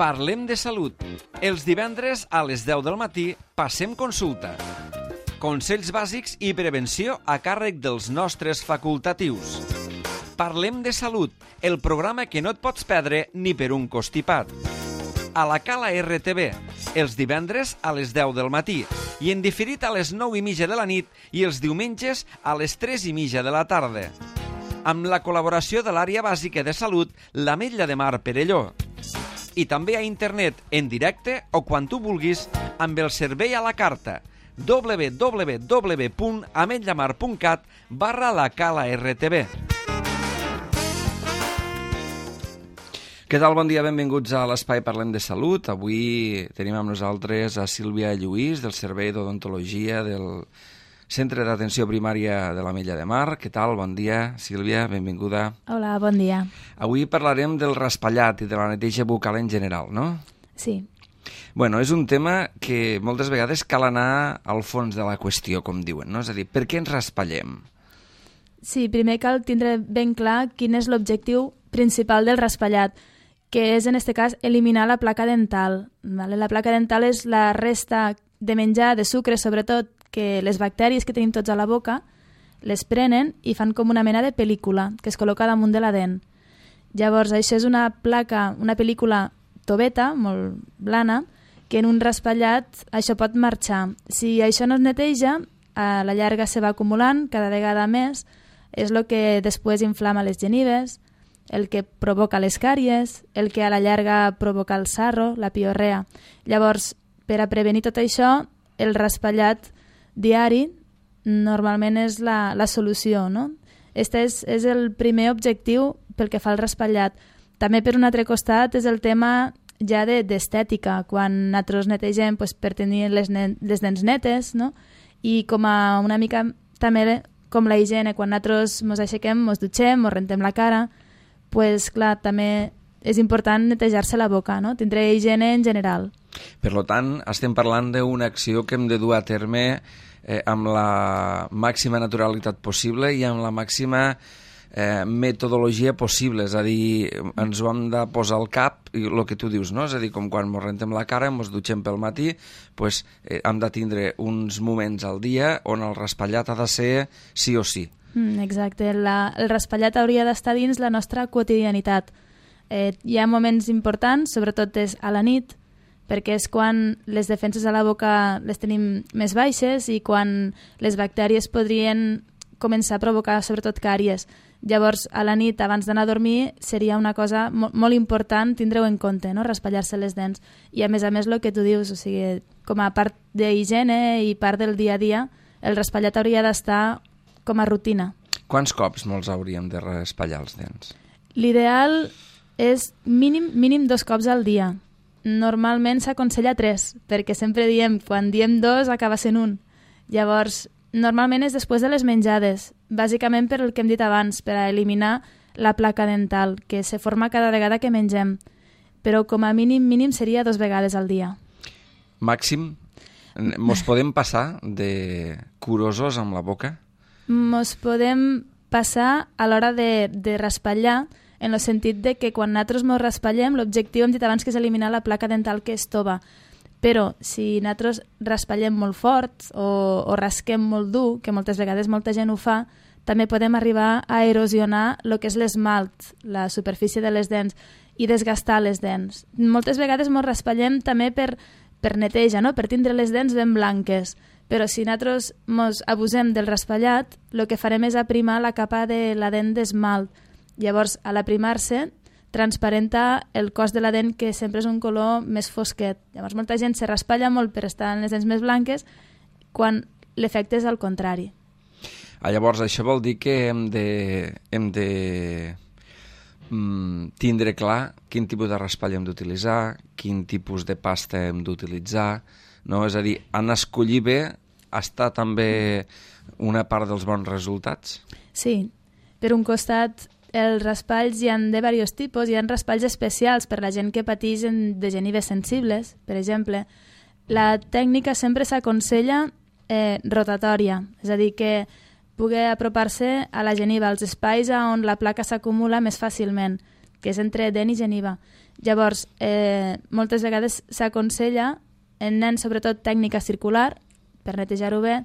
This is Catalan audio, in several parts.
Parlem de salut. Els divendres a les 10 del matí passem consulta. Consells bàsics i prevenció a càrrec dels nostres facultatius. Parlem de salut, el programa que no et pots perdre ni per un constipat. A la Cala RTV, els divendres a les 10 del matí i en diferit a les 9:30 de la nit i els diumenges a les 3:30 de la tarda. Amb la col·laboració de l'àrea bàsica de salut, l'Ametlla de Mar Perelló. I també a internet, en directe o quan tu vulguis, amb el servei a la carta www.ametllamar.cat/la Cala RTV. Què tal? Bon dia, benvinguts a l'Espai Parlem de Salut. Avui tenim amb nosaltres a Sílvia Lluís, del Servei d'Odontologia del Centre d'Atenció Primària de l'Ametlla de Mar. Què tal? Bon dia, Sílvia, benvinguda. Hola, bon dia. Avui parlarem del raspallat i de la neteja bucal en general, no? Sí. Bueno, és un tema que moltes vegades cal anar al fons de la qüestió, com diuen, no? És a dir, per què ens raspallem? Sí, primer cal tindre ben clar quin és l'objectiu principal del raspallat, que és, en aquest cas, eliminar la placa dental. Vale? La placa dental és la resta de menjar, de sucre, sobretot, que les bactèries que tenim tots a la boca les prenen i fan com una mena de pel·lícula que es col·loca damunt de la dent. Llavors, això és una placa, una pel·lícula toveta, molt blana, que en un raspallat això pot marxar. Si això no es neteja, a la llarga se va acumulant cada vegada més, és el que després inflama les genives, el que provoca les càries, el que a la llarga provoca el sarro, la piorrea. Llavors, per a prevenir tot això, el raspallat diari normalment és la solució, no? Este és el primer objectiu pel que fa al raspallat. També, per un altre costat, és el tema ja d'estètica, quan nosaltres netegem per tenir les dents netes, no? I com a una mica també com la higiene, quan nosaltres ens aixequem, ens dutxem, ens rentem la cara, clar, també és important netejar-se la boca, no? Tindre higiene en general. Per tant, estem parlant d'una acció que hem de dur a terme amb la màxima naturalitat possible i amb la màxima metodologia possible, és a dir, ens ho hem de posar al cap, i el que tu dius, no? És a dir, com quan ens rentem la cara, ens dutxem pel matí, hem de tindre uns moments al dia on el raspallat ha de ser sí o sí. Exacte, el raspallat hauria d'estar dins la nostra quotidianitat. Hi ha moments importants, sobretot és a la nit, perquè és quan les defenses a la boca les tenim més baixes i quan les bactèries podrien començar a provocar sobretot càries. Llavors, a la nit, abans d'anar a dormir, seria una cosa molt important tindre-ho en compte, no? Raspallar-se les dents. I a més, el que tu dius, o sigui, com a part d'higiene i part del dia a dia, el raspallat hauria d'estar com a rutina. Quants cops molts hauríem de raspallar els dents? L'ideal és mínim 2 cops al dia. Normalment s'aconsella 3, perquè sempre diem, quan diem 2 acaba sent 1. Llavors, normalment és després de les menjades, bàsicament per el que hem dit abans, per a eliminar la placa dental, que se forma cada vegada que mengem. Però com a mínim seria 2 vegades al dia. Màxim? Mos podem passar de curosos amb la boca? Mos podem passar a l'hora de raspallar, en el sentit de que quan nosaltres mos raspallem, l'objectiu hem dit abans que és eliminar la placa dental que es tova. Però si nosaltres raspallem molt fort o rasquem molt dur, que moltes vegades molta gent ho fa, també podem arribar a erosionar el que és l'esmalt, la superfície de les dents, i desgastar les dents. Moltes vegades mos raspallem també per neteja, no? Per tindre les dents ben blanques. Però si nosaltres mos abusem del raspallat, el que farem és aprimar la capa de la dent d'esmalt. Llavors, a l'aprimar-se, transparenta el cos de la dent, que sempre és un color més fosquet. Llavors, molta gent se raspalla molt per estar en les dents més blanques, quan l'efecte és al contrari. Llavors, això vol dir que hem de tindre clar quin tipus de raspall hem d'utilitzar, quin tipus de pasta hem d'utilitzar, no? És a dir, en escollir bé està també una part dels bons resultats? Sí, per un costat, els raspalls hi ha de diversos tipus. Hi ha raspalls especials per la gent que pateix de genives sensibles, per exemple. La tècnica sempre s'aconsella rotatòria, és a dir, que pugui apropar-se a la geniva, als espais on la placa s'acumula més fàcilment. que és entre dent i geniva. Llavors, moltes vegades s'aconsella, en nens sobretot tècnica circular, per netejar-ho bé,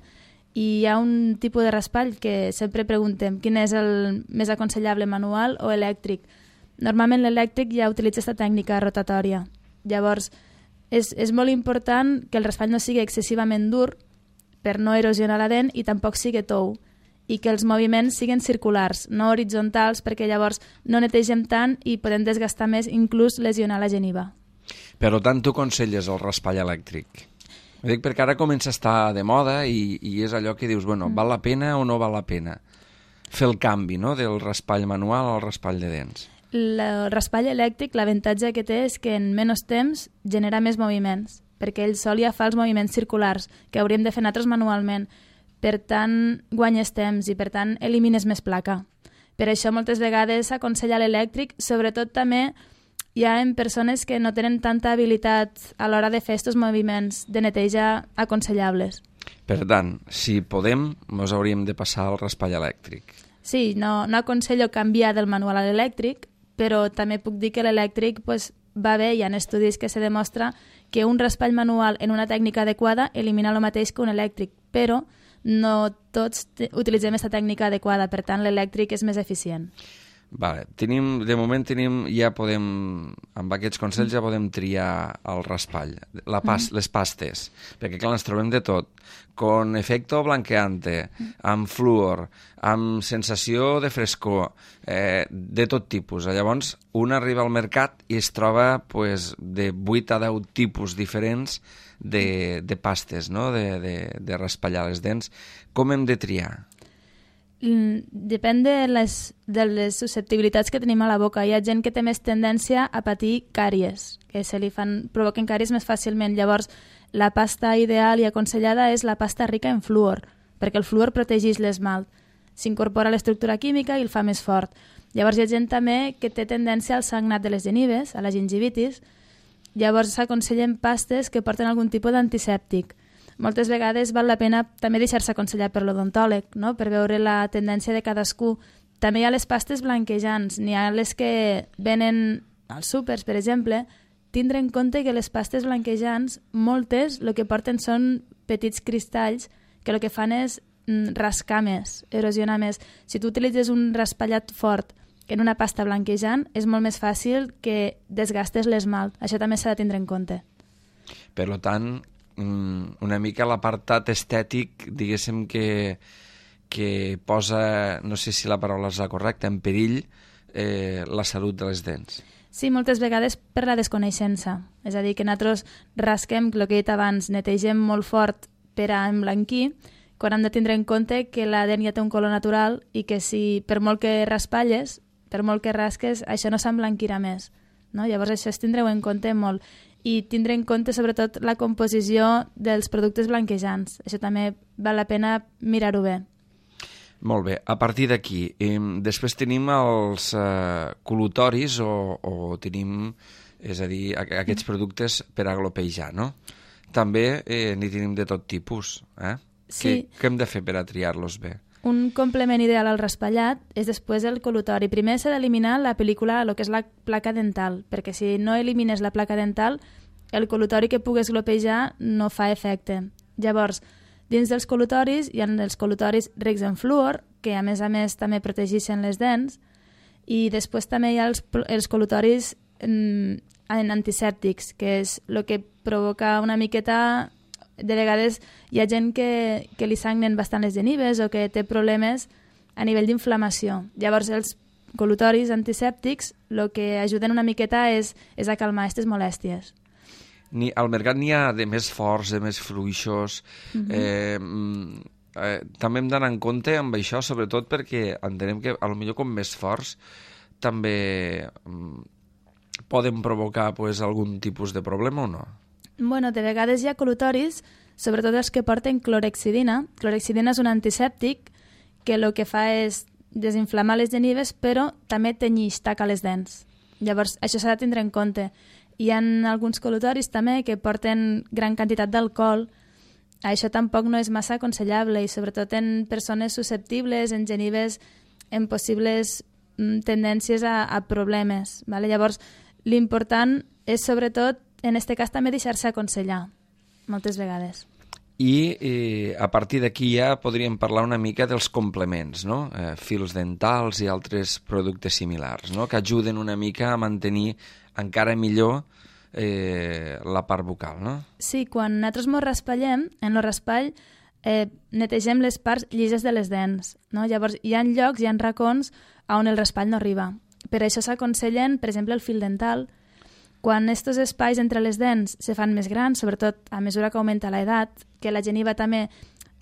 i hi ha un tipus de raspall que sempre preguntem quin és el més aconsellable, manual o elèctric. Normalment l'elèctric ja utilitza aquesta tècnica rotatòria. Llavors, és molt important que el raspall no sigui excessivament dur per no erosionar la dent i tampoc sigui tou, i que els moviments siguin circulars, no horitzontals, perquè llavors no netegem tant i podem desgastar més, inclús lesionar la geniva. Per tant, tu aconselles el raspall elèctric? Ho dic perquè ara comença a estar de moda i és allò que dius, bueno, val la pena o no val la pena fer el canvi, no?, del raspall manual al raspall de dents. El raspall elèctric, l'avantatge que té és que en menys temps genera més moviments, perquè ell sol ja fa els moviments circulars, que hauríem de fer nosaltres manualment. Per tant, guanyes temps i, per tant, elimines més placa. Per això, moltes vegades s'aconsella l'elèctric, sobretot també hi ha en persones que no tenen tanta habilitat a l'hora de fer aquests moviments de neteja aconsellables. Per tant, si podem, ens hauríem de passar al raspall elèctric. Sí, no aconsello canviar del manual a l'elèctric, però també puc dir que l'elèctric va bé, hi ha estudis que se demostra que un raspall manual en una tècnica adequada elimina el mateix que un elèctric, però no tots utilitzem aquesta tècnica adequada, per tant l'elèctric és més eficient. Vale. De moment ja podem, amb aquests consells ja podem triar el raspall, les pastes, perquè clar, ens trobem de tot, con efecto blanqueante, amb fluor, amb sensació de frescor, de tot tipus. Llavors, un arriba al mercat i es troba de 8 a 10 tipus diferents de pastes, no?, de raspallar les dents. Com hem de triar? Depèn de les susceptibilitats que tenim a la boca. Hi ha gent que té més tendència a patir càries, que provoquen càries més fàcilment. Llavors, la pasta ideal i aconsellada és la pasta rica en fluor, perquè el fluor protegeix l'esmalt. S'incorpora a l'estructura química i el fa més fort. Llavors, hi ha gent també que té tendència al sagnat de les genives, a la gingivitis. Llavors, s'aconsellen pastes que porten algun tipus d'antisèptic. Moltes vegades val la pena també deixar-se aconsellar per l'odontòleg, no?, per veure la tendència de cadascú. També hi ha les pastes blanquejants, n'hi ha les que venen als súpers, per exemple. Tindre en compte que les pastes blanquejants, moltes, el que porten són petits cristalls que el que fan és rascar més, erosionar més. Si tu utilitzes un raspallat fort en una pasta blanquejant, és molt més fàcil que desgastes l'esmalt. Això també s'ha de tindre en compte. Per tant, una mica l'apartat estètic, diguéssim que posa, no sé si la paraula és la correcta, en perill la salut de les dents. Sí, moltes vegades per la desconeixença. És a dir, que nosaltres rasquem, el que he dit abans, netegem molt fort per a emblanquir, quan hem de tindre en compte que la dent ja té un color natural i que si per molt que raspalles, per molt que rasques, això no s'emblanquirà més. No? Llavors això es tindreu en compte molt. I tindre en compte sobretot la composició dels productes blanquejants. Això també val la pena mirar-ho bé. Molt bé. A partir d'aquí, després tenim els col·lutoris o tenim, és a dir, aquests productes per a glopejar, no? També n'hi tenim de tot tipus. Sí. Què hem de fer per a triar-los bé? Un complement ideal al raspallat és després el col·lutori. Primer s'ha d'eliminar la pel·lícula, el que és la placa dental, perquè si no elimines la placa dental, el col·lutori que pugues glopejar no fa efecte. Llavors, dins dels col·lutoris hi ha els col·lutoris rics en fluor, que a més també protegeixen les dents, i després també hi ha els col·lutoris en antisèptics, que és el que provoca una miqueta... De vegades hi ha gent que li sagnen bastant les genives o que té problemes a nivell d'inflamació. Llavors, els col·lutoris antisèptics el que ajuden una miqueta és a calmar aquestes molèsties. Al mercat n'hi ha de més forts, de més fluixos. També hem d'anar en compte amb això, sobretot perquè entenem que potser com més forts també poden provocar algun tipus de problema o no? Bueno, de vegades hi ha col·lutoris, sobretot els que porten clorhexidina. Clorhexidina és un antisèptic que el que fa és desinflamar les genives, però també tenyix, taca les dents. Llavors, això s'ha de tindre en compte. Hi ha alguns col·lutoris també que porten gran quantitat d'alcohol. Això tampoc no és massa aconsellable i sobretot en persones susceptibles, en genives, en possibles tendències a problemes. Vale? Llavors, l'important és, sobretot, en aquest cas també deixar-se aconsellar, moltes vegades. I a partir d'aquí ja podríem parlar una mica dels complements, no? Fils dentals i altres productes similars, no? Que ajuden una mica a mantenir encara millor la part bucal, no? Sí, quan nosaltres ens raspallem, en el raspall netegem les parts llises de les dents, no? Llavors hi ha llocs, hi ha racons on el raspall no arriba. Per això s'aconsellen, per exemple, el fil dental. Quan aquests espais entre les dents se fan més grans, sobretot a mesura que augmenta l'edat, que la geniva també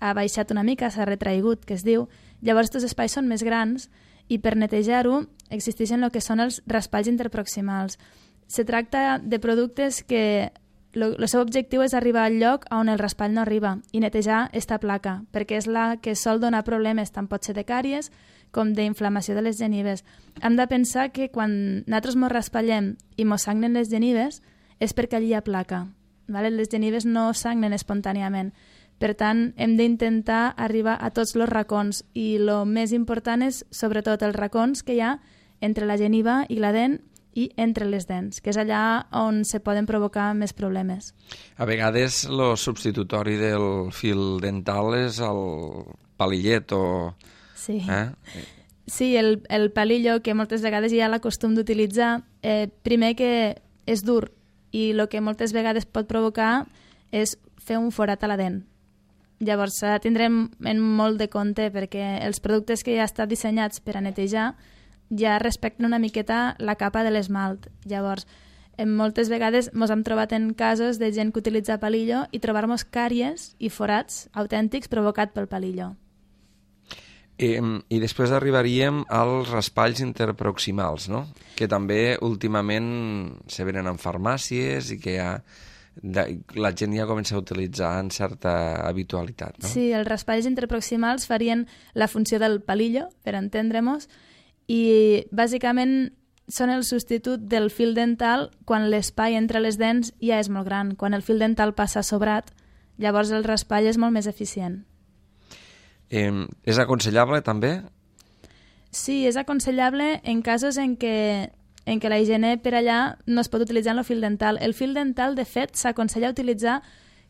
ha baixat una mica, s'ha retraigut, que es diu, llavors aquests espais són més grans i per netejar-ho existeixen el que són els raspalls interproximals. Se tracta de productes que el seu objectiu és arribar al lloc on el raspall no arriba i netejar esta placa, perquè és la que sol donar problemes tant pot ser de càries com d'inflamació de les genives. Hem de pensar que quan nosaltres ens raspallem i ens sagnen les genives és perquè allí hi ha placa. Vale? Les genives no sagnen espontàniament. Per tant, hem d'intentar arribar a tots els racons i el més important és, sobretot, els racons que hi ha entre la geniva i la dent i entre les dents, que és allà on se poden provocar més problemes. A vegades el substitutori del fil dental és el palillet o... Sí, sí, el palillo, que moltes vegades hi ha la costum d'utilitzar, primer que és dur i el que moltes vegades pot provocar és fer un forat a la dent. Llavors s'ha de tindre en molt de compte perquè els productes que ja estan dissenyats per a netejar ja respecten una miqueta la capa de l'esmalt. Llavors, moltes vegades ens hem trobat en casos de gent que utilitza palillo i trobar-nos càries i forats autèntics provocat pel palillo. I després arribaríem als raspalls interproximals, no? Que també últimament se venen en farmàcies i que ja la gent ja comença a utilitzar en certa habitualitat, no? Sí, els raspalls interproximals farien la funció del palillo, per entendre-nos, i bàsicament són el substitut del fil dental quan l'espai entre les dents ja és molt gran. Quan el fil dental passa sobrat, llavors el raspall és molt més eficient. És aconsellable també? Sí, és aconsellable en casos en què la higiene per allà no es pot utilitzar en el fil dental. El fil dental, de fet, s'aconsella utilitzar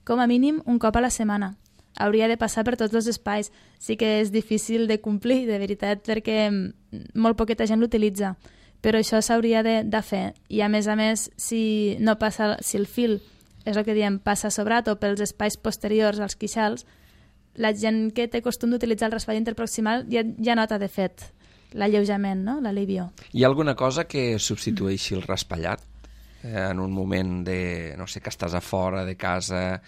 com a mínim un cop a la setmana. Hauria de passar per tots els espais. Sí que és difícil de complir, de veritat, perquè molt poqueta gent l'utilitza. Però això s'hauria de fer. I a més, si el fil, és el que diem, passa sobrat o pels espais posteriors als queixals, la gent que té costum d'utilitzar el raspall interproximal ja nota, de fet, l'alleujament, no? L'alivio. Hi ha alguna cosa que substitueixi el raspallat en un moment de, no sé, que estàs a fora de casa,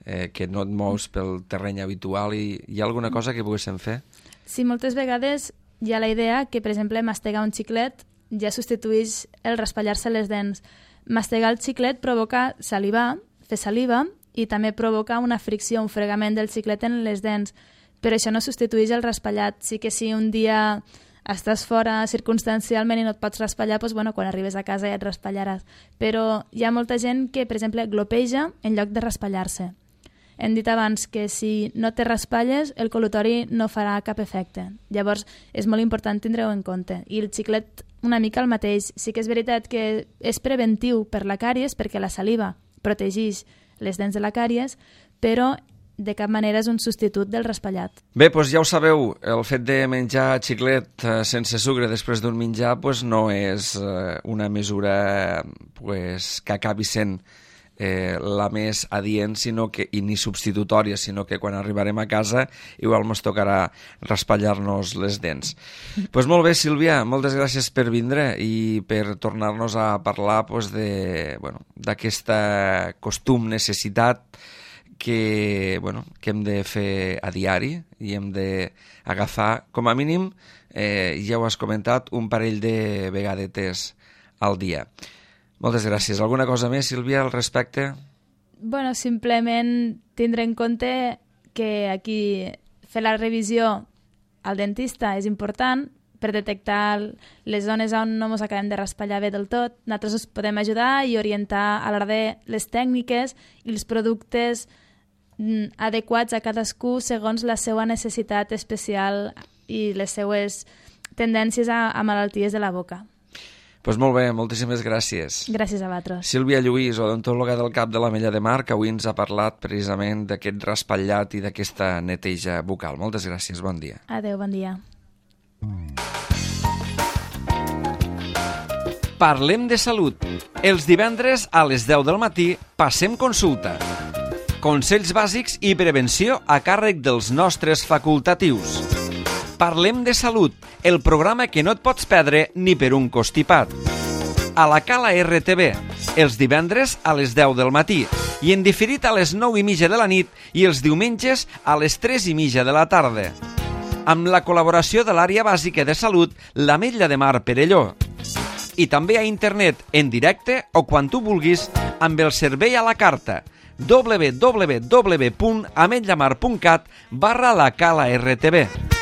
que no et mous pel terreny habitual, i hi ha alguna cosa que poguéssim fer? Sí, moltes vegades hi ha la idea que, per exemple, mastegar un xiclet ja substitueix el raspallar-se les dents. Mastegar el xiclet provoca salivar, fer saliva, i també provoca una fricció, un fregament del xiclet en les dents. Però això no substitueix el raspallat. Sí que si un dia estàs fora circumstancialment i no et pots raspallar, doncs, quan arribes a casa ja et raspallaràs. Però hi ha molta gent que, per exemple, glopeja en lloc de raspallar-se. Hem dit abans que si no te raspalles, el col·lutori no farà cap efecte. Llavors, és molt important tindre-ho en compte. I el xiclet una mica el mateix. Sí que és veritat que és preventiu per la càries, perquè la saliva protegeix les dents de la càries, però de cap manera és un substitut del raspallat. Bé, doncs ja ho sabeu, el fet de menjar xiclet sense sucre després d'un menjar no és una mesura que acabi sent la més adient i ni substitutòria, sinó que quan arribarem a casa igual ens tocarà raspallar-nos les dents. Doncs molt bé, Sílvia, moltes gràcies per vindre i per tornar-nos a parlar d'aquesta costum, necessitat que hem de fer a diari i hem d'agafar, com a mínim, ja ho has comentat, un parell de vegades al dia. Moltes gràcies. Alguna cosa més, Sílvia, al respecte? Simplement tindre en compte que aquí fer la revisió al dentista és important per detectar les zones on no ens acabem de raspallar bé del tot. Nosaltres us podem ajudar i orientar a l'hora de les tècniques i els productes adequats a cadascú segons la seva necessitat especial i les seues tendències a malalties de la boca. Doncs molt bé, moltíssimes gràcies. Gràcies a vosaltres. Sílvia Lluís, odontòloga del CAP de l'Ametlla de Mar, que avui ens ha parlat precisament d'aquest raspallat i d'aquesta neteja bucal. Moltes gràcies, bon dia. Adéu, bon dia. Parlem de salut. Els divendres a les 10 del matí passem consulta. Consells bàsics i prevenció a càrrec dels nostres facultatius. Parlem de salut, el programa que no et pots perdre ni per un costipat. A la Cala RTV, els divendres a les 10 del matí i en diferit a les 9:30 de la nit i els diumenges a les 3:30 de la tarda. Amb la col·laboració de l'àrea bàsica de salut, l'Ametlla de Mar Perelló. I també a internet, en directe o quan tu vulguis, amb el servei a la carta www.ametllamar.cat/la Cala RTV.